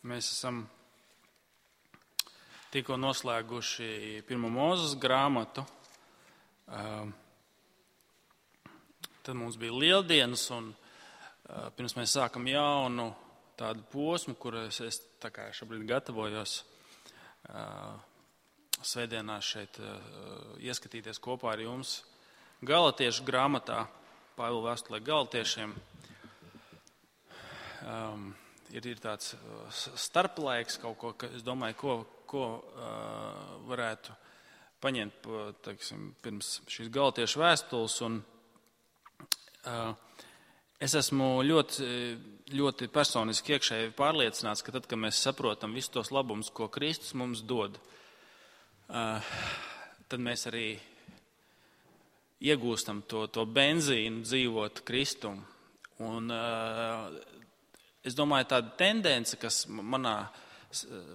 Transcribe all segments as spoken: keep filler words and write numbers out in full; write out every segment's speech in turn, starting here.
Mēs esam tikko noslēguši pirmo Mūzes grāmatu. Tad mums bija Lieldienas, un pirms mēs sākam jaunu tādu posmu, kuras es tā kā šobrīd gatavojos svētdienās šeit ieskatīties kopā ar jums Galatiešu grāmatā, Pāvila vēstulē Galatiešiem. Um, ir, ir tāds starplaiks kaut ko, ka es domāju, ko, ko uh, varētu paņemt, teiksim, pirms šīs Galatiešu vēstules. Un, uh, es esmu ļoti, ļoti personiski iekšēji pārliecināts, ka tad, kad mēs saprotam visus tos labumus, ko Kristus mums dod, uh, tad mēs arī iegūstam to, to benzīnu dzīvot Kristumu. Un uh, es domāju, tāda tendence, kas manā,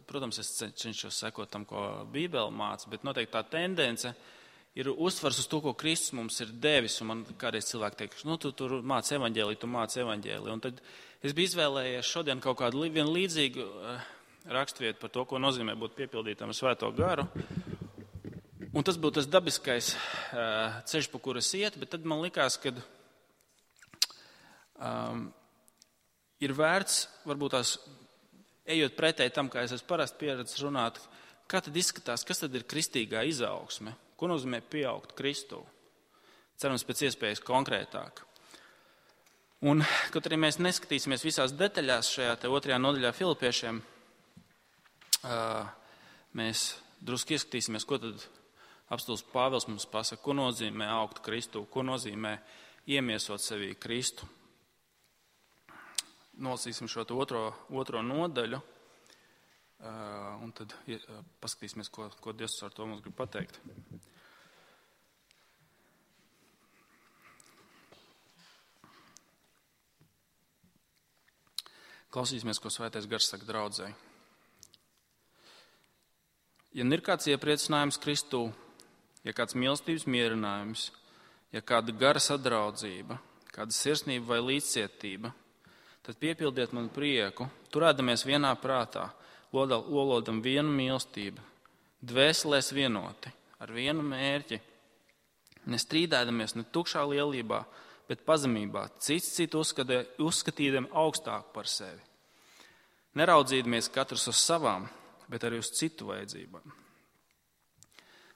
protams, es cenšos sekot tam, ko Bībele māca, bet noteikti tā tendence ir uzsvars uz to, ko Kristus mums ir devis. Un man kādreiz cilvēki teiks, nu, tu tur māc evaņģēliju, tu māc evaņģēliju. Un tad es biju izvēlējies šodien kaut kādu vienu līdzīgu uh, raksturvietu par to, ko nozīmē būt piepildītam ar Svēto garu. Un tas būtu tas dabiskais uh, ceļš, pa kuras iet, bet tad man likās, ka um, ir vērts, varbūt tās, ejot pretēji tam, kā es esmu parasti pieredzis runāt, kā tad izskatās, kas tad ir kristīgā izaugsme, ko nozīmē pieaugt Kristū. Cerams, pēc iespējas konkrētāk. Un, kaut arī mēs neskatīsimies visās detaļās šajā te otrajā nodaļā Filipiešiem, uh, mēs drusku ieskatīsimies, ko tad apostuls Pāvils mums pasaka, ko nozīmē augt Kristū, ko nozīmē iemiesot sevī Kristu. Nolasīsim šo otro, otro nodaļu, un tad paskatīsimies, ko, ko Dievs ar to mums grib pateikt. Klausīsimies, ko Svētais Gars saka draudzei. Ja ir kāds iepriecinājums Kristū, ja kāds mīlestības mierinājums, ja kāda gara sadraudzība, kāda sirsnība vai līdzcietība, tad piepildiet man prieku, turēdamies vienā prātā, lolodam vienu mīlestību, dvēselēs vienoti, ar vienu mērķi, nestrīdēdamies ne tukšā lielībā, bet pazemībā, cits citu uzskatīdam augstāk par sevi. Neraudzīdamies katrs uz savām, bet arī uz citu vajadzībām.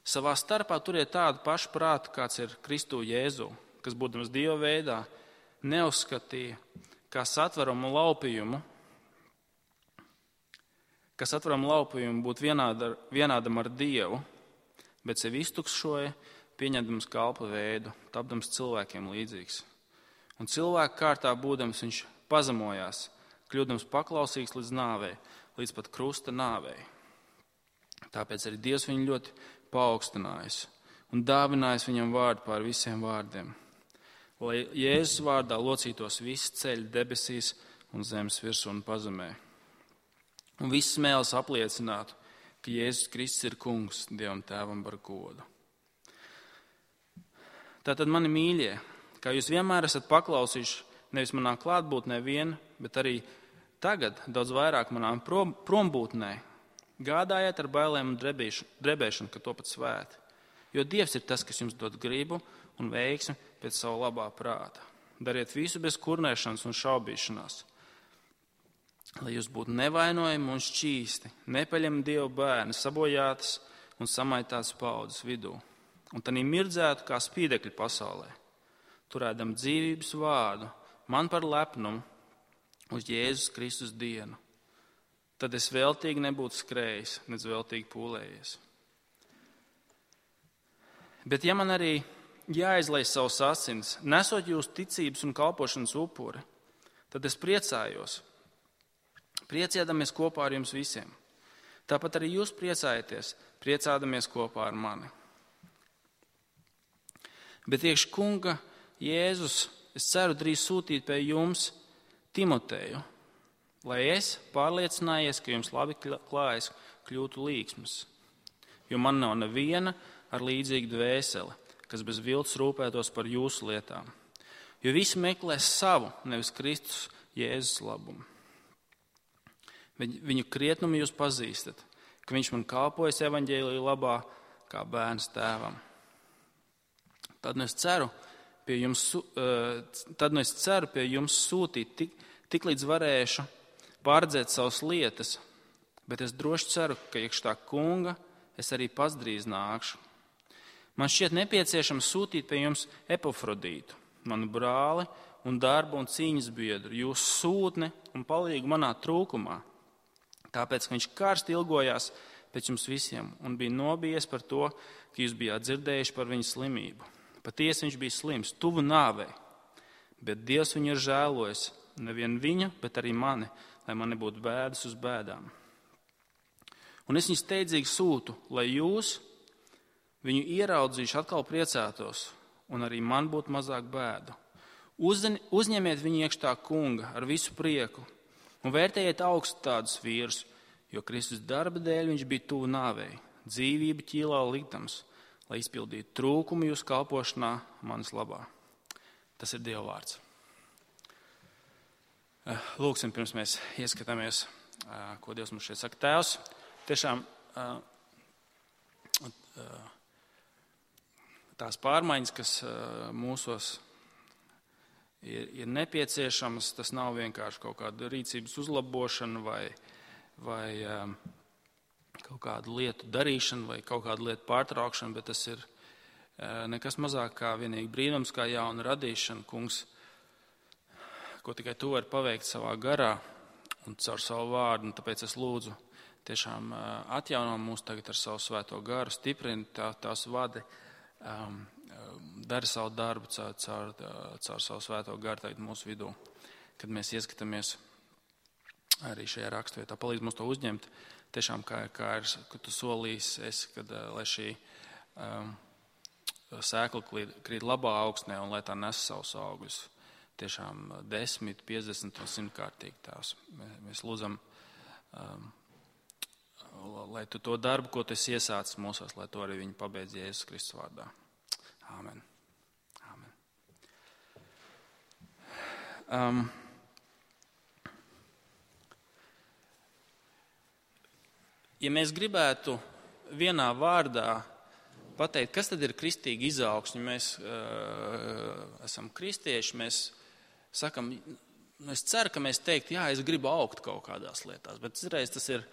Savā starpā turiet tādu pašu prātu, kāds ir Kristū Jēzu, kas, būdams Dieva veidā, neuzskatīja, kā satveramu laupījumu, kas satveramu laupījumu būt vienāda, vienādam ar Dievu, bet sevi iztukšoja, pieņemdams kalpa veidu, tapdams cilvēkiem līdzīgs. Un cilvēku kārtā būdams viņš pazemojās, kļūdams paklausīgs līdz nāvei, līdz pat krusta nāvei. Tāpēc arī Dievs viņu ļoti paaugstinājis un dāvinājis viņam vārdu pār visiem vārdiem, lai Jēzus vārdā locītos visi ceļi debesīs un zemes virsū un pazemē. Un viss mēls apliecinātu, ka Jēzus Kristus ir kungs Dievam tēvam par godu. Tātad, mani mīļie, kā jūs vienmēr esat paklausījuši nevis manā klātbūtnē vien, bet arī tagad daudz vairāk manām prom, prombūtnē, gādājiet ar bailēm un drebēšanu, ka to pat svēti. Jo Dievs ir tas, kas jums dod gribu un veiksmi pēc savu labā prāta. Dariet visu bez kurnēšanas un šaubīšanās, lai jūs būtu nevainojami un šķīsti, nepaļami Dieva bērni, sabojātas un samaitātas paudzes vidū. Un tanī mirdzētu kā spīdekļi pasaulē, turēdam dzīvības vārdu, man par lepnumu uz Jēzus Kristus dienu. Tad es veltīgi nebūtu skrējis, nec veltīgi pūlējies. Bet ja man arī jāizlej savus asins, nesot jūs ticības un kalpošanas upuri, tad es priecājos, priecēdamies kopā ar jums visiem. Tāpat arī jūs priecājieties, priecādamies kopā ar mani. Bet iekš kunga Jēzus, es ceru drīz sūtīt pie jums Timoteju, lai es pārliecinājies, ka jums labi klājas, kļūtu līksmas. Jo man nav neviena ar līdzīgu dvēseli, kas bez viltus rūpētos par jūsu lietām. Jo visi meklēs savu, nevis Kristus Jēzus labumu. Viņu krietnumu jūs pazīstat, ka viņš man kalpojas evaņģēlija labā kā bērns tēvam. Tad nu es ceru pie jums, tad nu es ceru pie jums sūtīt tik, tik līdz varēšu pārredzēt savas lietas, bet es droši ceru, ka iekš tā kunga es arī pats drīz nākšu. Man šķiet nepieciešams sūtīt pie jums Epafrodītu, manu brāli un darbu un cīņas biedru, jūsu sūtni un palīgu manā trūkumā. Tāpēc, ka viņš karsti ilgojās pēc jums visiem un bija nobijies par to, ka jūs bijāt dzirdējuši par viņa slimību. Patiesi viņš bija slims, tuvu nāvei, bet Dievs viņu ir žēlojis, nevien viņu, bet arī mani, lai man nebūtu bēdas uz bēdām. Un es viņu steidzīgi sūtu, lai jūs viņu ieraudzījuši atkal priecātos, un arī man būtu mazāk bēdu. Uzņem, uzņemiet viņu iekšā kunga ar visu prieku un vērtējiet augstu tādus vīrus, jo Kristus darba dēļ viņš bija tuvu nāvei, dzīvību ķīlā liktams, lai izpildītu trūkumu jūsu kalpošanā manis labā. Tas ir Dieva vārds. Lūksim, pirms mēs ieskatāmies, ko Dievs mums šeit saka. Tēvs, tiešām tās pārmaiņas, kas mūsos ir, ir nepieciešamas, tas nav vienkārši kaut kāda rīcības uzlabošana vai, vai kaut kādu lietu darīšana vai kaut kādu lietu pārtraukšana, bet tas ir nekas mazāk kā vienīgi brīnums, kā jauna radīšana, kungs, ko tikai tu vari paveikt savā garā un caur savu vārdu. Un tāpēc es lūdzu tiešām atjauno mūs tagad ar savu svēto garu, stiprini tā, tās vadi, um, dari savu darbu caur, caur, caur savu svēto garu tagad mūsu vidū, kad mēs ieskatāmies arī šajā raksturvietā. Palīdz mums to uzņemt, tiešām kā, kā ir, kad tu solīs, es, kad, lai šī um, sēkla krīt labā augsnē un lai tā nes savus augļus. Tiešām desmit, piecdesmit un simtkārtīgi tās. Mēs lūdzam, um, lai tu to darbu, ko tu esi iesācis mūsos, lai to arī viņi pabeidz Jēzus Kristus vārdā. Āmen. Āmen. Um, ja mēs gribētu vienā vārdā pateikt, kas tad ir kristīga izaugsme, mēs uh, esam kristieši, mēs sakam, es ceru, ka mēs teikt, jā, es gribu augt kaut kādās lietās, bet citreiz tas ir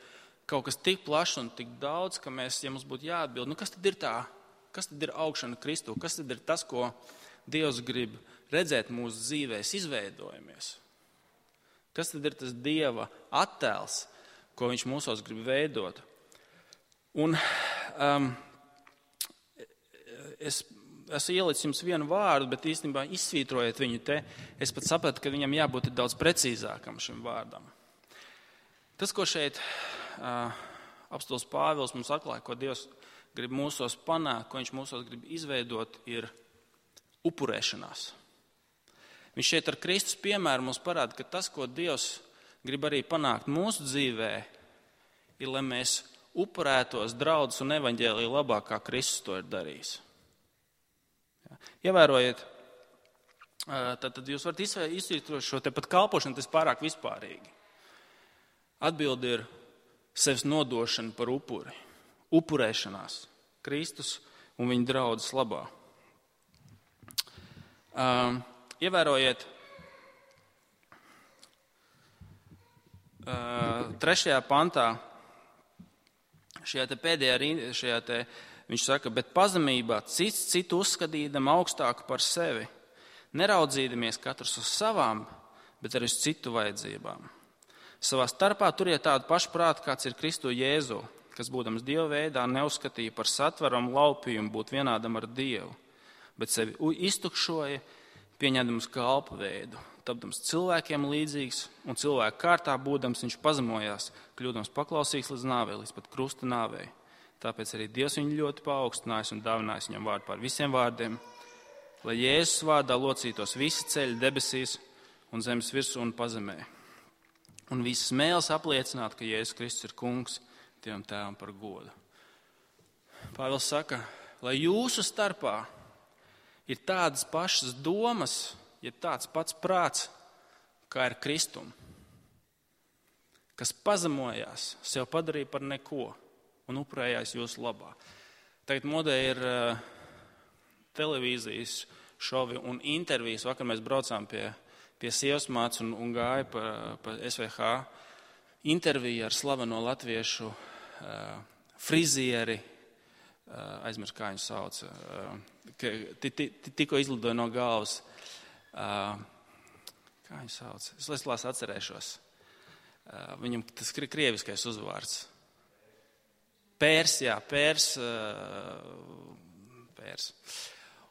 kaut kas tik plašs un tik daudz, ka mēs, ja mums būtu jāatbild, nu kas tad ir tā, kas tad ir augšana Kristū, kas tad ir tas, ko Dievs grib redzēt mūsu dzīvēs, izveidojamies? Kas tad ir tas Dieva attēls, ko viņš mūsos grib veidot? Un um, es esmu ielicis jums vienu vārdu, bet īstenībā izsvītrojiet viņu te, es pat sapratu, ka viņam jābūt daudz precīzākam šim vārdam. Tas, ko šeit uh, apostols Pāvils mums atklāja, ko Dievs grib mūsos panākt, ko viņš mūsos grib izveidot, ir upurēšanās. Viņš šeit ar Kristus piemēru mums parāda, ka tas, ko Dievs grib arī panākt mūsu dzīvē, ir, lai mēs upurētos draudzes un evaņģēlija labā, kā Kristus to ir darījis. Ievērojiet, tad, tad jūs varat izsvītrot šo te pat kalpošanu, tas pārāk vispārīgi. Atbilde ir sevis nodošana par upuri, upurēšanās Kristus un viņa draudzes labā. Um, ievērojiet, uh, trešajā pantā, šajā te pēdējā rindā, šajā te viņš saka, bet pazemībā cits citu uzskatīdam augstāku par sevi, neraudzīdamies katrs uz savām, bet arī uz citu vajadzībām. Savā starpā turiet tādu pašu prātu, kāds ir Kristu Jēzu, kas būdams Dieva veidā neuzskatīja par satveram laupījumu būt vienādam ar Dievu, bet sevi iztukšoja, pieņemdams kalpa veidu, tapdams cilvēkiem līdzīgs un cilvēku kārtā būdams viņš pazemojās, kļūdams paklausīgs līdz nāvei, līdz pat krusta nāvei. Tāpēc arī Dievs viņu ļoti paaugstinājis un dāvinājis viņam vārdu pār visiem vārdiem, lai Jēzus vārdā locītos visi ceļi debesīs un zemes virsū un pazemē. Un visas mēles apliecināt, ka Jēzus Kristus ir kungs Dievam tēvam par godu. Pāvils saka, lai jūsu starpā ir tādas pašas domas, ja tāds pats prāts, kā ir Kristum. kas pazemojās, sev padarīja par neko un upurējās jūsu labā. Tagad modē ir uh, televīzijas šovi un intervijas. Vakar mēs braucām pie, pie sievas mātes un, un gāja pa, pa S V H interviju ar slaveno latviešu uh, frizieri, uh, aizmirst, kā viņu sauc, uh, tikko izlidoja no galvas. Uh, kā viņu sauc? Es leslās atcerēšos. Uh, viņam tas krieviskais uzvārds. Pērs, jā, pērs, uh, pērs.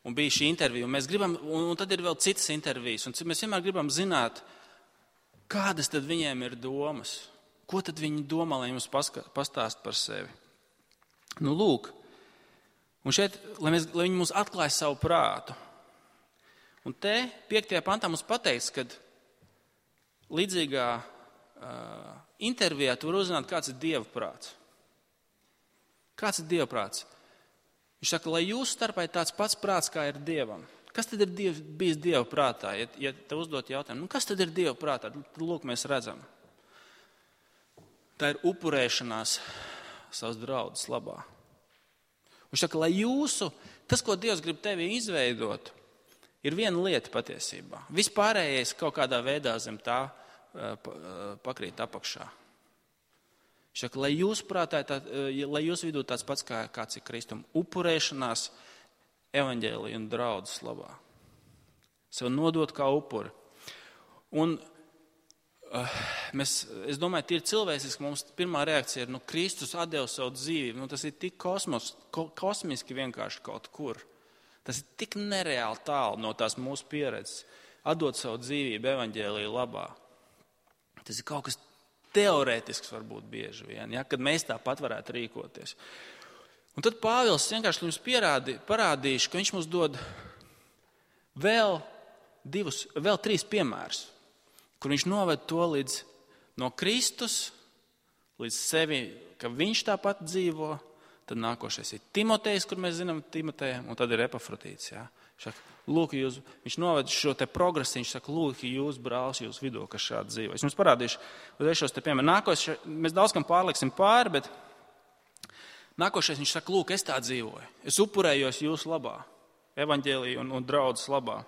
Un bija šī intervija, un mēs gribam, un, un tad ir vēl citas intervijas, un mēs vienmēr gribam zināt, kādas tad viņiem ir domas, ko tad viņi domā, lai mums paska, pastāst par sevi. Nu, lūk, un šeit, lai, mēs, lai viņi mums atklāja savu prātu. Un te, piektajā pantā mums pateikts, kad līdzīgā uh, intervijā tu var uzzināt, kāds ir Dieva prāts. Kāds ir Dieva prāts? Viņš saka, lai jūsu starpā ir tāds pats prāts, kā ir Dievam. Kas tad ir diev, bijis Dieva prātā? Ja, ja te uzdot jautājumu, nu kas tad ir Dieva prātā? Tad lūk, mēs redzam. Tā ir upurēšanās savas draudzes labā. Viņš saka, lai jūsu, tas, ko Dievs grib tevi izveidot, ir viena lieta patiesībā. Vispārējais kaut kādā veidā zem tā pakrīt apakšā. Viņš saka, lai jūs prātā, tā, lai jūs vidū tāds pats kā kāds ir Kristum, upurēšanās evaņģēlija un draudzes labā. Sev nodot kā upuri. Un uh, mēs, es domāju, tīri cilvēciski mums pirmā reakcija ir, nu, Kristus atdeva savu dzīvību. Nu, tas ir tik kosmos, ko, kosmiski vienkārši kaut kur. Tas ir tik nereāli tālu no tās mūsu pieredzes. Atdot savu dzīvību evaņģēlija labā. Tas ir kaut kas teorētisks varbūt bieži vien, ja, kad mēs tāpat varētu rīkoties. Un tad Pāvils vienkārši jums pierādi, parādīšu, ka viņš mums dod vēl divus, vēl trīs piemērus, kur viņš noved to līdz no Kristus, līdz sevi, ka viņš tāpat dzīvo. Tad nākošais ir Timotejs, kur mēs zinām Timotejam, un tad ir Epafrodīts. Ja. Saka, lūk, jūs, viņš noved šo te progresu, viņš saka, lūk, jūs brālis, jūs vidū, kas šādi dzīvo. Es jums parādīšu, uzreiz šos te piemēru. Nākošais, mēs daudz kam pārliksim pāri, bet nākošais viņš saka, lūk, es tā dzīvoju. Es upurējos jūsu labā, evaņģēlija un, un draudzes labā.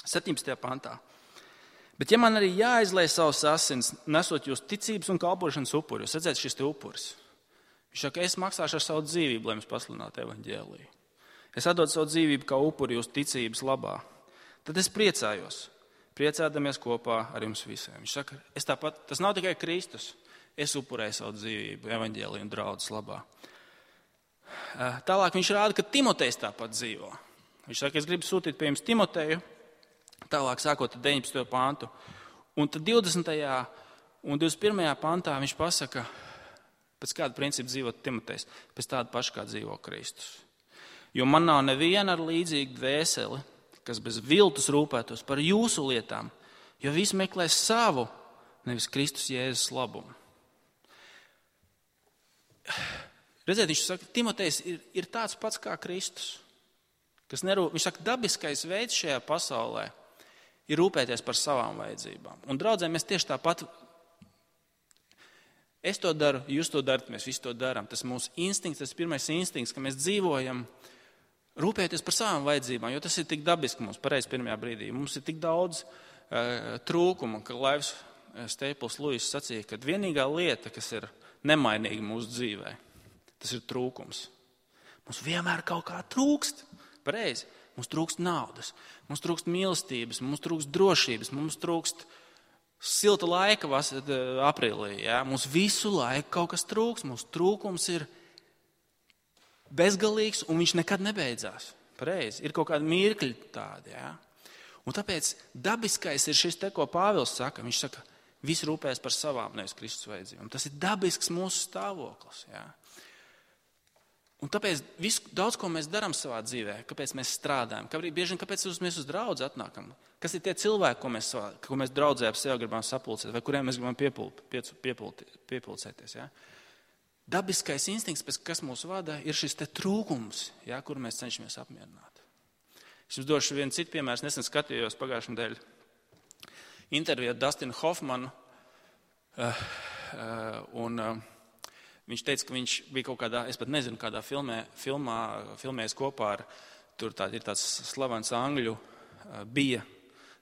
septiņpadsmitajā pantā. Bet ja man arī jāizlej savus asins, nesot jūs ticības un kalpošanas upuri, jūs redzēt šis te upuris. Viņš saka, es maksāšu ar savu dzīvību, lai jums pasludinātu evaņģēliju. Es atdodu savu dzīvību kā upuri jūsu ticības labā. Tad es priecājos, priecādamies kopā ar jums visiem. Viņš saka, es tāpat, tas nav tikai Kristus, es upurēju savu dzīvību evaņģēliju un draudzes labā. Tālāk viņš rāda, ka Timotejs tāpat dzīvo. Viņš saka, es gribu sūtīt pie jums Timoteju, tālāk sākot ar deviņpadsmito pantu. Un tad divdesmitajā un divdesmit pirmajā pantā viņš pasaka, pēc kāda principa dzīvot Timotejs, pēc tāda paša kā dzīvo Kristus. Jo man nav neviena ar līdzīgu dvēseli, kas bez viltus rūpētos par jūsu lietām, jo visi meklē savu, nevis Kristus Jēzus labumu. Redziet, viņš saka, Timotejs ir, ir tāds pats kā Kristus. Kas nerūp, viņš saka, dabiskais veids šajā pasaulē ir rūpēties par savām vajadzībām. Un draudzē mēs tieši tāpat. Es to daru, jūs to darat, mēs visi to darām. Tas mūsu instinkts, tas pirmais instinkts, ka mēs dzīvojam, rūpēties par savām vajadzībām, jo tas ir tik dabiski mums pareizi pirmajā brīdī. Mums ir tik daudz uh, trūkumu, ka Laivs Staples Lewis sacīja, ka vienīgā lieta, kas ir nemainīga mūsu dzīvē, tas ir trūkums. Mums vienmēr kaut kā trūkst, pareizi. Mums trūkst naudas, mums trūkst mīlestības, mums trūkst drošības, mums trūkst silta laika vasar, aprīlī, ja? Mums visu laiku kaut kas trūks, mūsu trūkums ir bezgalīgs un viņš nekad nebeidzās. Pareizi, ir kaut kādi mirkļi tādi. Ja? Un tāpēc dabiskais ir šis te, ko Pāvils saka. Viņš saka, visi rūpējas par savām, nevis Kristus vajadzībām. Tas ir dabisks mūsu stāvoklis. Ja? Un tāpēc visu, daudz, ko mēs darām savā dzīvē, kāpēc mēs strādājam, kāpēc, bieži vien kāpēc mēs uz draudzi atnākam, kas ir tie cilvēki, ko mēs, savā, ko mēs draudzē ap sevi gribam sapulcēt, vai kuriem mēs gribam piepult, piepult, piepulcēties. Ja? Dabiskais instinkts, pēc kas mūs vada, ir šis te trūkums, ja, kur mēs cenšamies apmierināt. Es jums došu vienu citu piemēru, nesen skatījos pagājušajā nedēļā interviju ar Dustinu Hoffmanu. Uh, uh, un uh, viņš teica, ka viņš bija kaut kādā, es pat nezinu, kādā filmē, filmā, filmēs kopā ar, tur tā, ir tāds slavens angļu, uh, bija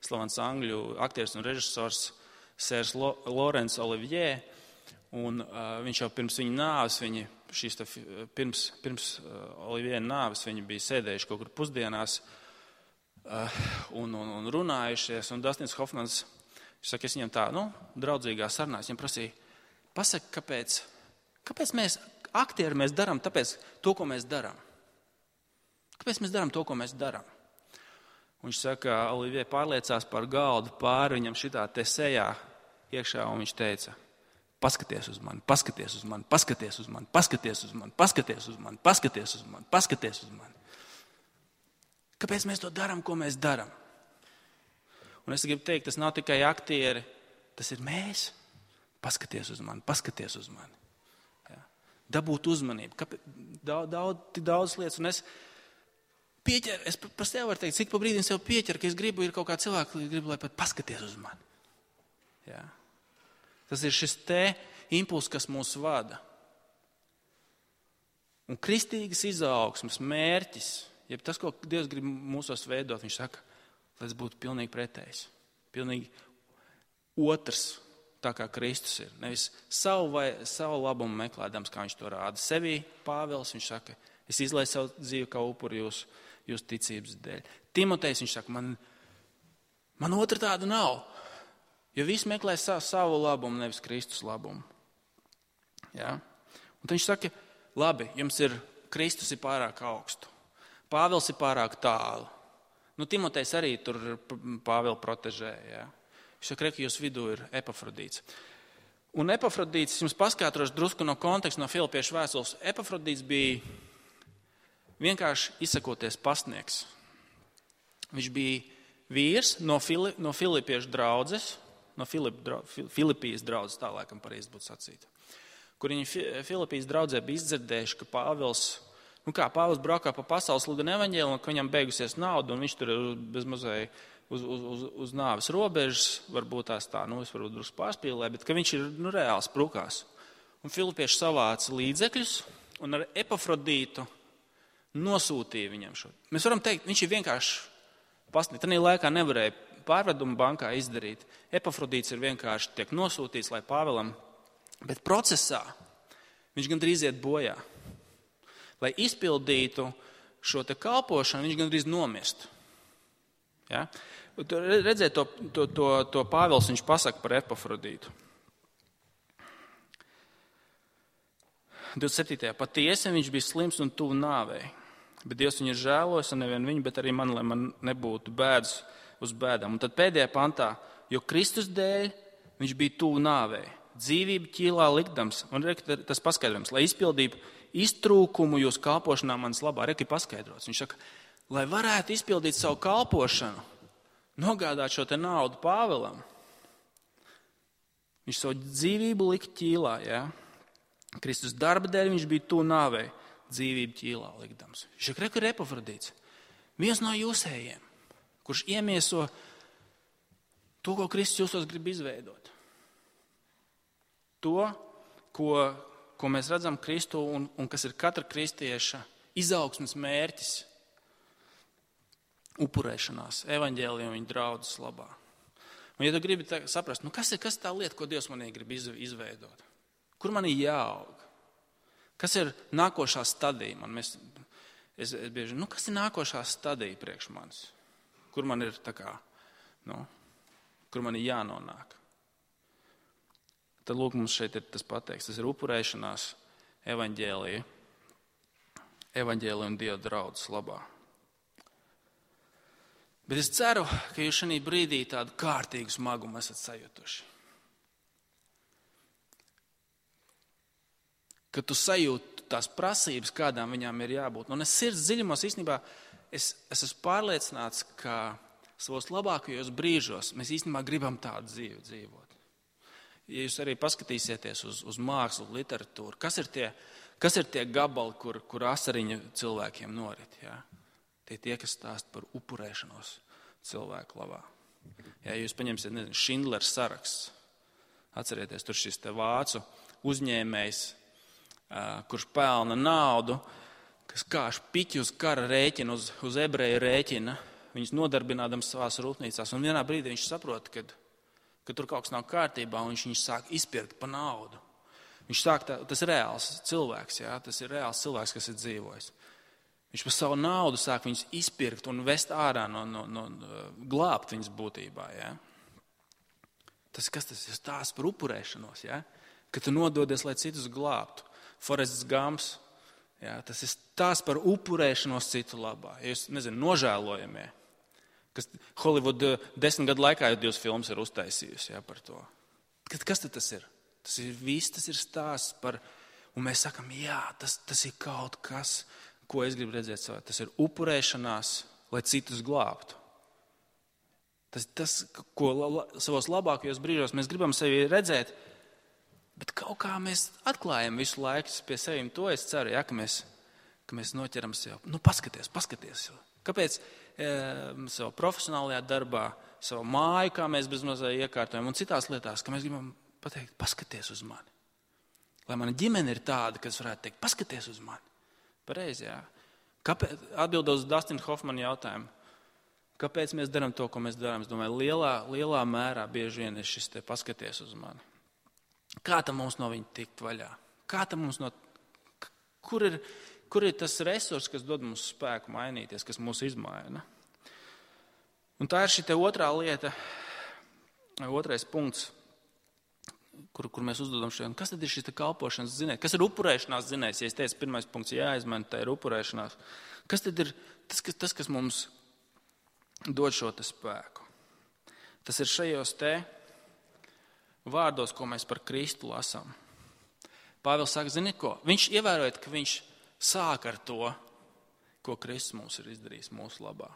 slavens angļu aktieris un režisors Sērs Lorence Olivier, un uh, viņš jau pirms viņa nāves, viņi, šīs tā, pirms, pirms uh, Olivier nāves, viņi bija sēdējuši kaut kur pusdienās uh, un, un, un runājušies, un Dustins Hoffmans, viņš saka, es viņam tā, nu, draudzīgā sarunā, es viņam prasīju, pasaka, kāpēc, kāpēc mēs, aktieri, mēs darām tāpēc to, ko mēs darām? Kāpēc mēs darām to, ko mēs darām? Un viņš saka, Olivier pārliecās par galdu pāri viņam šitā te sejā iekšā, un viņš teica, paskaties uz mani, paskaties uz mani, paskaties uz mani, paskaties uz mani, paskaties uz mani, paskaties uz mani, paskaties uz mani. Kāpēc mēs to darām, ko mēs darām? Un es gribu teikt, tas nav tikai aktieri, tas ir mēs. Paskaties uz mani, paskaties uz mani. Ja. Dabūt uzmanību. Kāpēc? Daudz, daudz, daudz lietas. Un es pieķeru, es par sevi varu teikt, cik pa brīdim sev pieķeru, ka es gribu, ir kaut kā cilvēki, gribu, lai pat paskaties uz mani. Ja. Tas ir šis te impuls, kas mūs vada. Un kristīgas izaugsmes mērķis, jeb tas, ko Dievs grib mūsos veidot, viņš saka, lai tas būtu pilnīgi pretējs. Pilnīgi otrs, tā kā Kristus ir. Nevis savu, vai, savu labumu meklēdams, kā viņš to rāda. Sevī Pāvils, viņš saka, es izlaidu savu dzīvi kā upuri jūsu jūs ticības dēļ. Timotejs, viņš saka, man, man otra tāda nav. Jo visi meklē savu, savu labumu, nevis Kristus labumu. Ja? Un tad viņš saka, labi, jums ir, Kristus ir pārāk augstu. Pāvils ir pārāk tālu. Nu, Timotejs arī tur Pāvilu protežē. Ja? Viņš saka, ka jūs vidū ir Epafrodīts. Un Epafrodīts, jums paskaidrošu drusku no konteksta, no Filipiešu vēstules. Epafrodīts bija vienkārši izsakoties pastnieks. Viņš bija vīrs no, Fili, no Filipiešu draudzes, no Filip, dra, Filipijas draudzes, tā laikam pareizi būtu sacīta, kur viņi Filipijas draudzē bija izdzirdējuši, ka Pāvils, nu kā, Pāvils braukā pa pasaules sludina evaņģēliju, un ka viņam beigusies nauda, un viņš tur ir bezmazai uz, uz, uz, uz nāves robežas, varbūt tās tā, nu es varbūt drusku pārspīlēju, bet ka viņš ir, nu, reāli sprukās. Un Filipieši savāca līdzekļus, un ar Epafrodītu nosūtīja viņam šo. Mēs varam teikt, viņš ir vienkārši pasniegt. Tanī laikā nevarēja pārvedumu bankā izdarīt. Epafrodīts ir vienkārši tiek nosūtīts, lai Pāvilam, bet procesā viņš gandrīz iet bojā. Lai izpildītu šo te kalpošanu, viņš gandrīz nomirst. Ja? Redzēt, to, to, to, to Pāvils viņš pasaka par Epafrodītu. divdesmit septītajā Patiesi viņš bija slims un tuvu nāvei, bet Dievs viņu ir žēlojis, un nevien viņu, bet arī man, lai man nebūtu bēdas uz bēdām. Un tad pēdējā pantā, jo Kristus dēļ viņš bija tuvu nāvei, dzīvību ķīlā likdams, un tas paskaidrojums, lai izpildītu iztrūkumu jūs kalpošanā manas labā, reki paskaidrots. Viņš saka, lai varētu izpildīt savu kalpošanu, nogādāt šo te naudu Pāvilam, viņš savu dzīvību lika ķīlā, ja? Kristus darba dēļ viņš bija tuvu nāvei, dzīvību ķīlā likdams. Viņš saka, reku ir Epafrodīts, viens no jūsējiem, kurš iemieso to, ko Kristus jūsos grib izveidot. To, ko, ko mēs redzam Kristu un, un kas ir katra kristieša izaugsmes mērķis, upurēšanās, evaņģēlija un viņa draudzes labā. Un ja tu gribi tā, saprast, nu kas ir kas tā lieta, ko Dievs manī grib izveidot? Kur man ir jāaug? Kas ir nākošā stadija? Man mēs, es, es bieži, nu kas ir nākošā stadija priekš manis? Kur man ir tā kā, nu, kur man ir jānonāk? Tad lūk, mums šeit ir tas pateikts, tas ir upurēšanās evaņģēlija, evaņģēlija un Dieva draudzes labā. Bet es ceru, ka jūs šajā brīdī tādu kārtīgu smagumu esat sajutuši. Ka tu sajūti tās prasības, kādām viņām ir jābūt. Un es sirds dziļumos īstenībā, es, es esmu pārliecināts, ka savos labākajos brīžos mēs īstenībā gribam tādu dzīvi dzīvot. Ja jūs arī paskatīsieties uz, uz mākslu, literatūru, kas ir tie, kas ir tie gabali, kur, kur asariņa cilvēkiem norit, ja? Tie tie, kas stāst par upurēšanos cilvēku labā. Ja jūs paņemsiet, nezinu, Šindlera saraksts, Atcerieties, tur šis te vācu uzņēmējs, kurš pelna naudu, kas kāž piķi uz kara rēķina, uz, uz ebreju rēķina, viņus nodarbinādams savās rūpnīcās. Un vienā brīdī viņš saprot, ka, ka tur kaut kas nav kārtībā, un viņš viņus sāk izpirkt pa naudu. Viņš sāk, tā, tas ir reāls cilvēks, jā, tas ir reāls cilvēks, kas ir dzīvojis. Viņš par savu naudu sāk viņus izpirkt un vest ārā no, no, no glābt viņas būtībā, jā. Tas, kas tas ir stāsts par upurēšanos, jā? Ka tu nododies, lai citus glābtu. Forests Gumps, jā, tas ir stāsts par upurēšanos citu labā. Ja jūs, nezinu, nožēlojamie, kas Hollywood desmit gadu laikā jau divas filmas ir uztaisījusi, jā, par to. Kas tad tas ir? Tas ir viss, tas ir stāsts par, un mēs sakam, jā, tas, tas ir kaut kas, ko es gribu redzēt savā. Tas ir upurēšanās, lai citus glābtu. Tas, tas, ko la, savos labākajos brīžos mēs gribam sevi redzēt, bet kaut kā mēs atklājam visu laiku pie sevim to, es ceru, ja, ka, mēs, ka mēs noķeram sev. Nu, paskaties, paskaties. Kāpēc e, savā profesionālajā darbā, savu māju, kā mēs bez mazai iekārtojam, un citās lietās, ka mēs gribam pateikt, paskaties uz mani. Lai mana ģimene ir tāda, kas varētu teikt, paskaties uz mani. Pareizi, jā. Kāpēc, atbildot uz Dustina Hoffmana jautājumu, kāpēc mēs darām to, ko mēs darām? Es domāju, lielā, lielā mērā bieži vien ir šis te paskaties uz mani. Kā tam mums no viņa tikt vaļā? Kā tam mums no... Kur ir, kur ir tas resurs, kas dod mums spēku mainīties, kas mūs izmaina? Un tā ir šī te otrā lieta, otrais punkts, kur, kur mēs uzdodam šodien. Kas tad ir šis te kalpošanas zinējs? Kas ir upurēšanās zinējs? Ja es teicu, pirmais punkts jāizmaina, tā ir upurēšanās. Kas tad ir tas, kas, tas, kas mums dod šo te spēku? Tas ir šajos te vārdos, ko mēs par Kristu lasām. Pāvils saka, zini ko? Viņš ievērojot, ka viņš sāk ar to, ko Kristus mums ir izdarījis mūsu labā.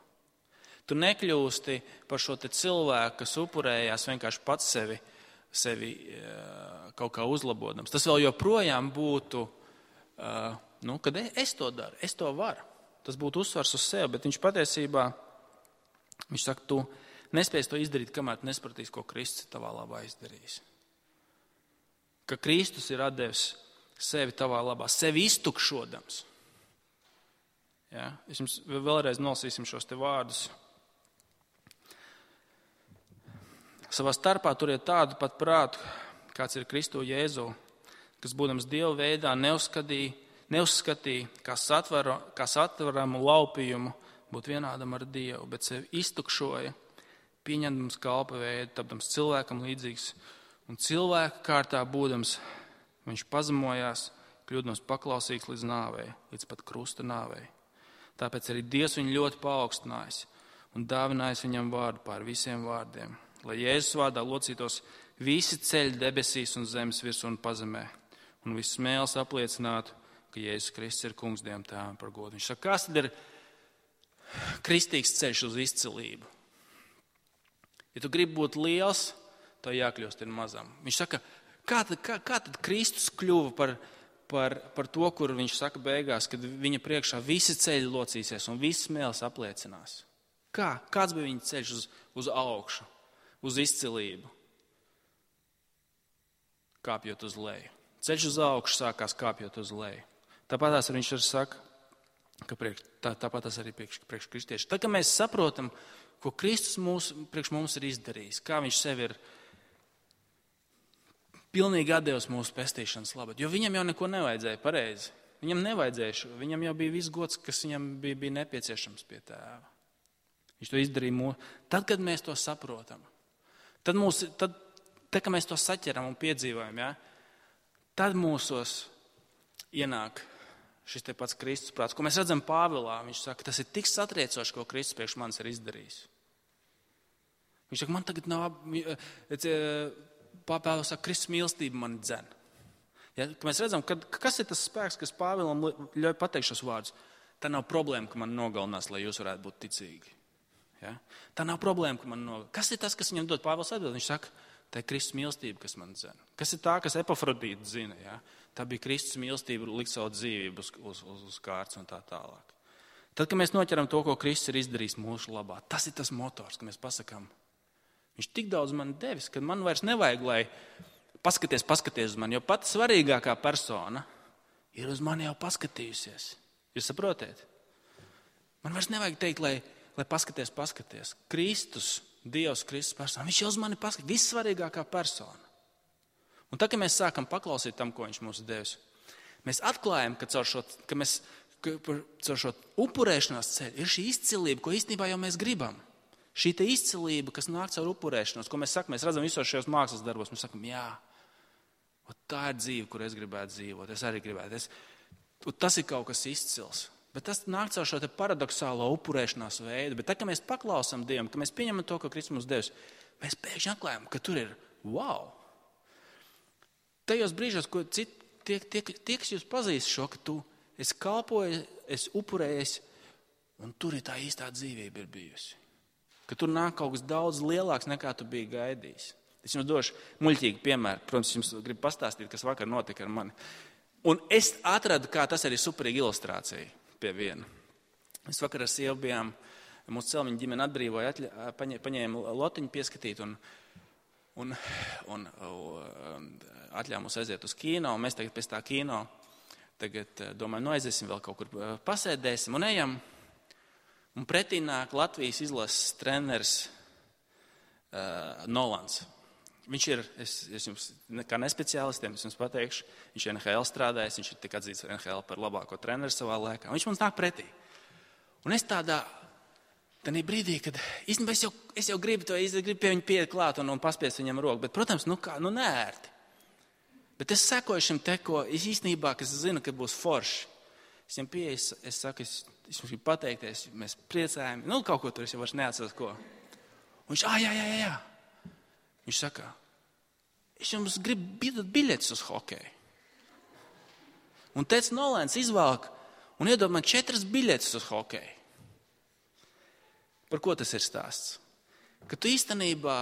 Tu nekļūsti par šo te cilvēku, kas upurējās vienkārši pats sevi, sevi kaut kā uzlabodams. Tas vēl joprojām būtu, nu, kad es to daru, es to varu. Tas būtu uzsvars uz sevi, bet viņš patiesībā, viņš saka, tu nespēsi to izdarīt, kamēr tu nesapratīs, ko Kristus tavā labā izdarījis. Ka Kristus ir atdevis sevi tavā labā, sevi iztukšodams. Ja? Es jums vēlreiz nolasīsim šos te vārdus. Savā starpā turiet tādu pat prātu, kāds ir Kristu Jēzu, kas būdams Dieva veidā neuzskatīja, neuzskatīja kā, satvaru, kā satvaramu laupījumu būt vienādam ar Dievu, bet sevi iztukšoja, pieņemdams kalpa veidu, tapdams cilvēkam līdzīgs, un cilvēka kārtā būdams, viņš pazemojās, kļūdams paklausīgs līdz nāvei, līdz pat krusta nāvei. Tāpēc arī Dievs viņu ļoti paaugstinājis un dāvinājis viņam vārdu pār visiem vārdiem, lai Jēzus vārdā locītos visi ceļi debesīs un zemes virsū un pazemē, un viss smēles apliecinātu, ka Jēzus Kristus ir kungs Dievam tēvam par godu. Viņš saka, kas tad ir kristīgs ceļš uz izcilību? Ja tu gribi būt liels, to jākļūst ir mazam. Viņš saka, kā tad, kā, kā tad Kristus kļuva par, par, par to, kur viņš saka beigās, kad viņa priekšā visi ceļi locīsies un visi smēles apliecinās? Kā? Kāds bija viņa ceļš uz, uz augšu, uz izcilību? Kāpjot uz leju. Ceļš uz augšu sākās kāpjot uz leju. Tāpat tās viņš arī saka, ka priekš, tā, tāpat tas arī priekš, priekš kristieši. Tad, kad mēs saprotam, ko Kristus mūs, priekš mums ir izdarījis, kā viņš sevi ir pilnīgi atdevis mūsu pestīšanas labad, jo viņam jau neko nevajadzēja pareizi. Viņam nevajadzēja, viņam jau bija viss gods, kas viņam bija, bija nepieciešams pie tēva. Viņš to izdarīja mūsu. Tad, kad mēs to saprotam, tad, mūs, tad, tad kad mēs to saķeram un piedzīvojam, ja, tad mūsos ienāk šis te pats Kristus prāts, ko mēs redzam Pāvilā. Viņš saka, tas ir tik satriecoši, ko Kristus priekš manis ir izdarījis. Viņš saka, man tagad nav, Pāvils saka, Kristus mīlestība mani dzen. Ja, mēs redzam, kad, kas ir tas spēks, kas Pāvilam ļauj pateikt šos vārdus. Tā nav problēma, ka man nogalinās, lai jūs varētu būt ticīgi. Ja? Tā nav problēma, ka man nogalinās. Kas ir tas, kas viņam dod? Pāvils atbild, viņš saka, tā ir Kristus mīlestība, kas man dzen. Kas ir tā, kas Epafrodīta zina? Ja? Tā bija Kristus mīlestība, likt savu dzīvību uz, uz, uz, uz kārtas un tā tālāk. Tad, kad mēs noķeram to, ko Kristus ir izdarījis mūsu labā, tas ir tas motors, ka mēs pasakām, viņš tik daudz man devis, ka man vairs nevajag, lai paskaties, paskaties uz mani, jo pat svarīgākā persona ir uz mani jau paskatījusies. Jūs saprotiet? Man vairs nevajag teikt, lai, lai paskaties, paskaties. Kristus, Dievs, Kristus persona, viņš jau uz mani paskatīs, vissvarīgākā persona. Un tā, ka mēs sākam paklausīt tam, ko viņš mums devis, mēs atklājam, ka caur šo, ka mēs, ka caur šo upurēšanās ceļu ir šī izcilība, ko īstenībā jau mēs gribam. Šī te izcilība, kas nāk caur upurēšanos, ko mēs sakam, mēs redzam visos šajos mākslas darbos, mēs sakam, jā, tā ir dzīve, kur es gribētu dzīvot, es arī gribētu. Es, tas ir kaut kas izcils. Bet tas nāk caur šo te paradoxālo upurēšanās veidu. Bet tā, ka mēs paklausam Dievam, ka mēs pieņemam to, ko Kristus mums devis, mēs pēkšņi atklājam, ka tur ir wow. Tajos brīžos, ko citi, tie, tie, tie, kas jūs pazīst šo, ka tu esi kalpojies, esi upurējies, un tur ir tā īstā dzīvība ir bijusi. Ka tur nāk kaut kas daudz lielāks, nekā tu biji gaidījis. Es jums došu muļķīgu piemēru. Protams, jums gribu pastāstīt, kas vakar notika ar mani. Un es atradu, kā tas arī superīga ilustrācija pie viena. Mēs vakar ar sievu bijām, mūsu celmiņa ģimene atbrīvoja, atļa, paņēma lotiņu pieskatīt un, un, un, un atļāva mums aiziet uz kino. Un mēs tagad pēc tā kino, tagad domājam, nu aiziesim vēl kaut kur pasēdēsim un ejam. Un pretī nāk Latvijas izlases treneris uh, Nolans. Viņš ir, es, es jums, kā nespeciālistiem, es jums pateikšu, viņš ir N H L strādājis, viņš ir tik atzīts N H L par labāko treneru savā laikā. Viņš mums nāk pretī. Un es tādā, tādā brīdī, kad īstenībā es jau, es jau gribu to, es gribu pie viņa pieiet klāt un, un paspiest viņam roku, bet, protams, nu kā, nu nērti. Bet es sekoju šim te, ko es īstenībā, kas zinu, ka būs forši. Es viņam pieeju, es, es saku, es, es jums gribu pateikties, mēs priecājam, nu kaut ko tur, es jau vairs neatceros, ko. Un viņš, ā, jā, jā, jā, jā. Viņš saka, es jums gribu biedot biļetes uz hokeju. Un teica Nolēns izvēlk un iedod man četras biļetes uz hokeju. Par ko tas ir stāsts? Ka tu īstenībā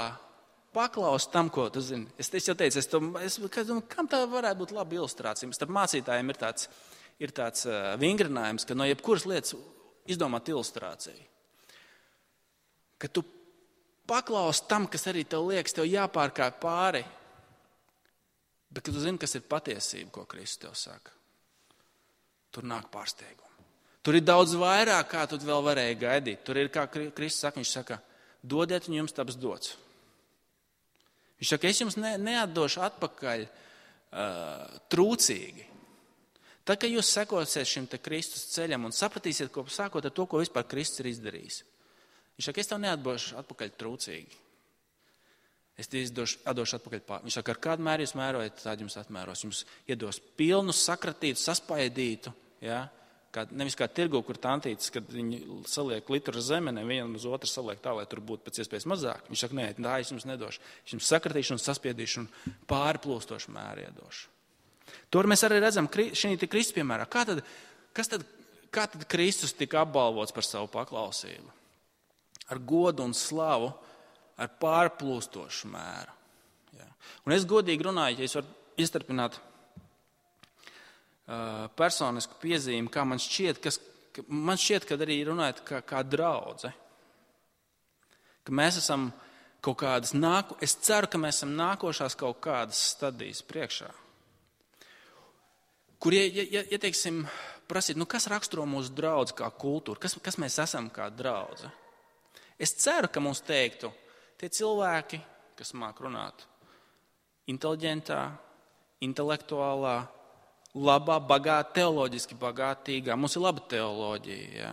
paklausi tam, ko tu zini. Es, es jau teicu, es to, es, kam tā varētu būt laba ilustrācija? Starp mācītājiem ir tāds, ir tāds uh, vingrinājums, ka no jebkuras lietas izdomāt ilustrāciju. Ka tu paklaus tam, kas arī tev liekas, tev jāpārkāj pāri, bet kad tu zini, kas ir patiesība, ko Kristus tev saka, tur nāk pārsteigumi. Tur ir daudz vairāk, kā tu vēl varēji gaidīt. Tur ir, kā Kristus saka, viņš saka, dodiet un jums taps dots. Viņš saka, es jums ne, neatdošu atpakaļ uh, trūcīgi. Tā, ka jūs sekosiet šim te Kristus ceļam un sapratīsiet, ko sākot ar to, ko vispār Kristus ir izdarījis. Viņš saka, es tev neatdošu atpakaļ trūcīgi. Es tev izdošu, atdošu atpakaļ pār. Viņš saka, ar kādu mēru jūs mērojat, tādu jums atmēros. Jums iedos pilnu, sakratītu, saspaidītu. Ja? Kā, nevis kā tirgu, kur tantītes, kad viņi saliek litru zemenē, vienu uz otru saliek tā, lai tur būtu pēc iespējas mazāk. Viņš saka, nē, tā es jums nedošu. Es jums sakratīšu un saspiedīšu un pārplūstošu mēru iedošu. Tur mēs arī redzam, šī te Kristus piemērā. Kā tad, kas tad, kā tad Kristus tika apbalvots par savu paklausību? Ar godu un slavu, ar pārplūstošu mēru. Jā. Un es godīgi runāju, ja es varu iestarpināt uh, personisku piezīmi, kā man šķiet, kas, ka, man šķiet, kad arī runājot kā, kā draudze, ka mēs esam kaut kādas, nāku, es ceru, ka mēs esam nākošās kaut kādas stadijas priekšā, kur, ja, ja, ja teiksim, prasīt, nu kas raksturo mūsu draudzi kā kultūru, kas, kas mēs esam kā draudze? Es ceru, ka mums teiktu, tie cilvēki, kas māk runāt inteliģentā, intelektuālā, labā, bagātā, teoloģiski bagātīgā. Mums ir laba teoloģija. Ja?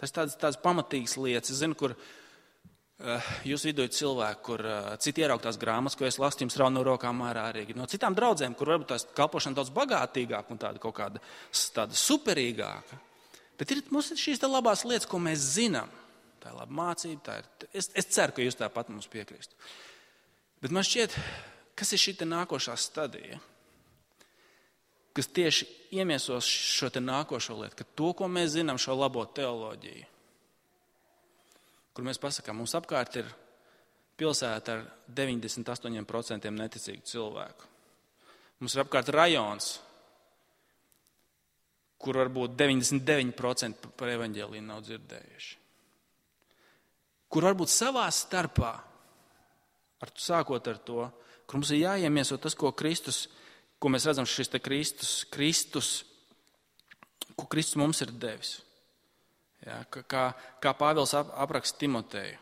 Tas ir tādas, tādas pamatīgas lietas. Es zinu, kur uh, jūs vidū ir cilvēki, kur uh, citi ierauktās grāmatas, ko es lasu, jums rauj no rokām ārā arī. No citām draudzēm, kur varbūt tās kalpošana daudz bagātīgāka un tāda kaut kāda tāda superīgāka. Bet ir, mums ir šīs tā labās lietas, ko mēs zinām. Tā ir laba mācība. Tā ir, es, es ceru, ka jūs tāpat mums piekristu. Bet man šķiet, kas ir šī te nākošā stadija, kas tieši iemiesos šo te nākošo lietu, ka to, ko mēs zinām, šo labo teoloģiju, kur mēs pasakām, mums apkārt ir pilsēta ar deviņdesmit astoņi procenti neticīgu cilvēku. Mums ir apkārt rajons, kur varbūt deviņdesmit deviņi procenti par evaņģēliju nav dzirdējuši. Kur varbūt savā starpā Ar, sākot ar to, kur mums ir jāiemieso tas, ko Kristus, ko mēs redzam šis te Kristus, Kristus, ko Kristus mums ir devis. Jā, kā, kā Pāvils ap, apraksta Timoteju.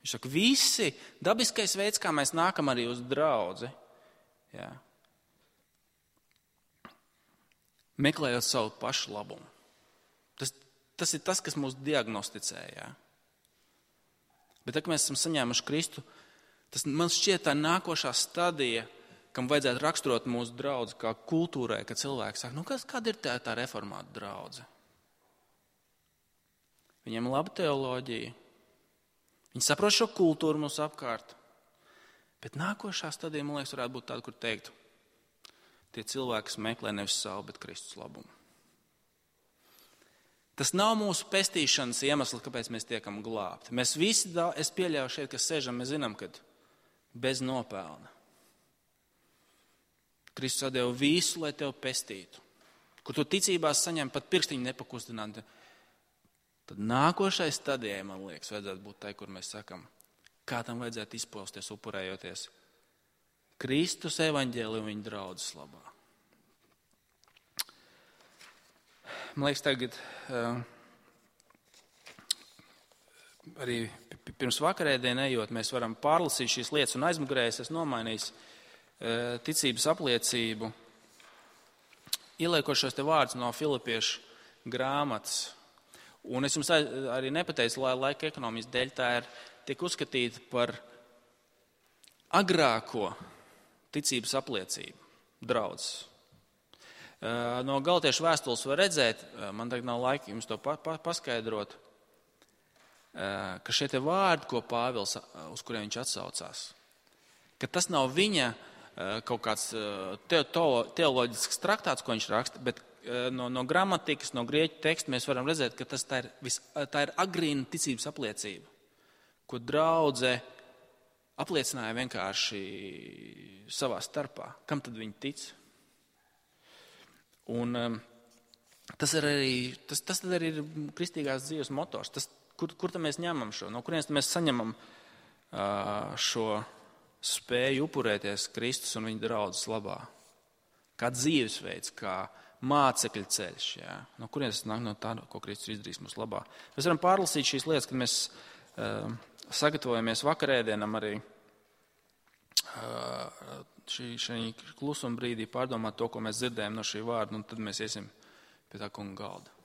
Viņš saka, visi dabiskais veids, kā mēs nākam arī uz draudzi, jā, meklējot savu pašu labumu. Tas, tas ir tas, kas mūs diagnosticē. Jā. Bet, kad mēs esam saņēmuši Kristu, tas man šķiet tā nākošā stadija, kam vajadzētu raksturot mūsu draudzi kā kultūrai, kad cilvēki saka, nu, kas, kāda ir tā, tā reformāta draudze? Viņiem ir laba teoloģija. Viņi saprot šo kultūru mums apkārt. Bet nākošā stadija, man liekas, varētu būt tāda, kur teikt, tie cilvēki, kas meklē nevis savu, bet Kristus labumu. Tas nav mūsu pestīšanas iemesls, kāpēc mēs tiekam glābti. Mēs visi, es pieļauju šeit, kas sēžam, mēs zinām, ka bez nopelna. Kristus atdeva visu, lai tevi pestītu. Kur tu ticībās saņem pat pirkstiņu nepakustināt. Tad nākošais stadijai, man liekas, vajadzētu būt tai, kur mēs sakam, kā tam vajadzētu izpausties, upurējoties Kristus evaņģēliju viņa draudzes labā. Man liekas, tagad uh, arī pirms vakarēdienē ejot, mēs varam pārlasīt šīs lietas un aizmugurēs, es nomainījis uh, ticības apliecību, ieliekot šos te vārdus no Filipiešu grāmatas. Un es jums arī nepateicu, lai laika ekonomijas dēļ tā ir tiek uzskatīta par agrāko ticības apliecību draudzes. No Galatiešu vēstules var redzēt, man tagad nav laika jums to pa, pa, paskaidrot, ka šie te vārdi, ko Pāvils, uz kuriem viņš atsaucās, ka tas nav viņa kaut kāds teoloģisks traktāts, ko viņš raksta, bet No, no gramatikas, no grieķu teksta mēs varam redzēt, ka tas tā ir, vis, tā ir agrīna ticības apliecība, ko draudze apliecināja vienkārši savā starpā. Kam tad viņi tic? Un um, tas, ir arī, tas, tas arī ir kristīgās dzīves motors. Tas, kur, kur tad mēs ņemam šo? No kurienes mēs saņemam uh, šo spēju upurēties Kristus un viņa draudzes labā? Kā dzīvesveids, kā mācekļu ceļš, jā. No kurienes nāk no tā, ko Kristus izdarīs mūsu labā. Mēs varam pārlasīt šīs lietas, kad mēs uh, sagatavojamies vakarēdienam arī uh, šī, šī klusuma brīdī pārdomāt to, ko mēs dzirdējam no šī vārda, un tad mēs iesim pie tā kunga galda.